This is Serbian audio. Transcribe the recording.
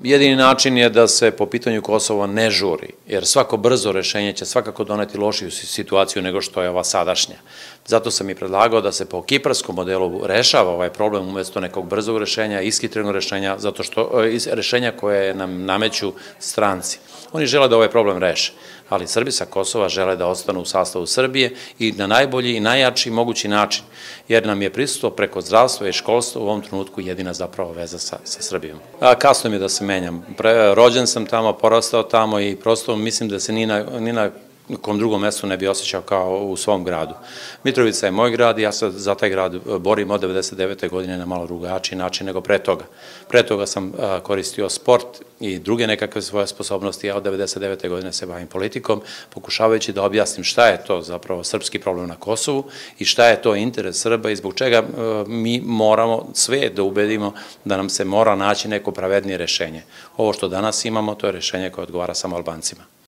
Jedini način je da se po pitanju Kosova ne žuri, jer svako brzo rešenje će svakako doneti lošiju situaciju nego što je ova sadašnja. Zato sam i predlagao da se po kiparskom modelu rešava ovaj problem umesto nekog brzog rešenja, ishitrenog rešenja, zato što rešenja koje nam nameću stranci. Oni žele da ovaj problem reše, ali Srbi sa Kosova žele da ostanu u sastavu Srbije i na najbolji i najjači mogući način, jer nam je prisustvo preko zdravstva i školstva u ovom trenutku jedina zapravo veza sa Srbijom. Kasno mi je da se menjam. Rođen sam tamo, porastao tamo i prosto mislim da se ni na kom drugom mestu ne bi osjećao kao u svom gradu. Mitrovica je moj grad i ja se za taj grad borim od 99. godine na malo drugačiji način nego pre toga. Pre toga sam koristio sport i druge nekakve svoje sposobnosti, a od 99. godine se bavim politikom, pokušavajući da objasnim šta je to zapravo srpski problem na Kosovu i šta je to interes Srba i zbog čega mi moramo sve da ubedimo da nam se mora naći neko pravednije rešenje. Ovo što danas imamo, to je rešenje koje odgovara samo Albancima.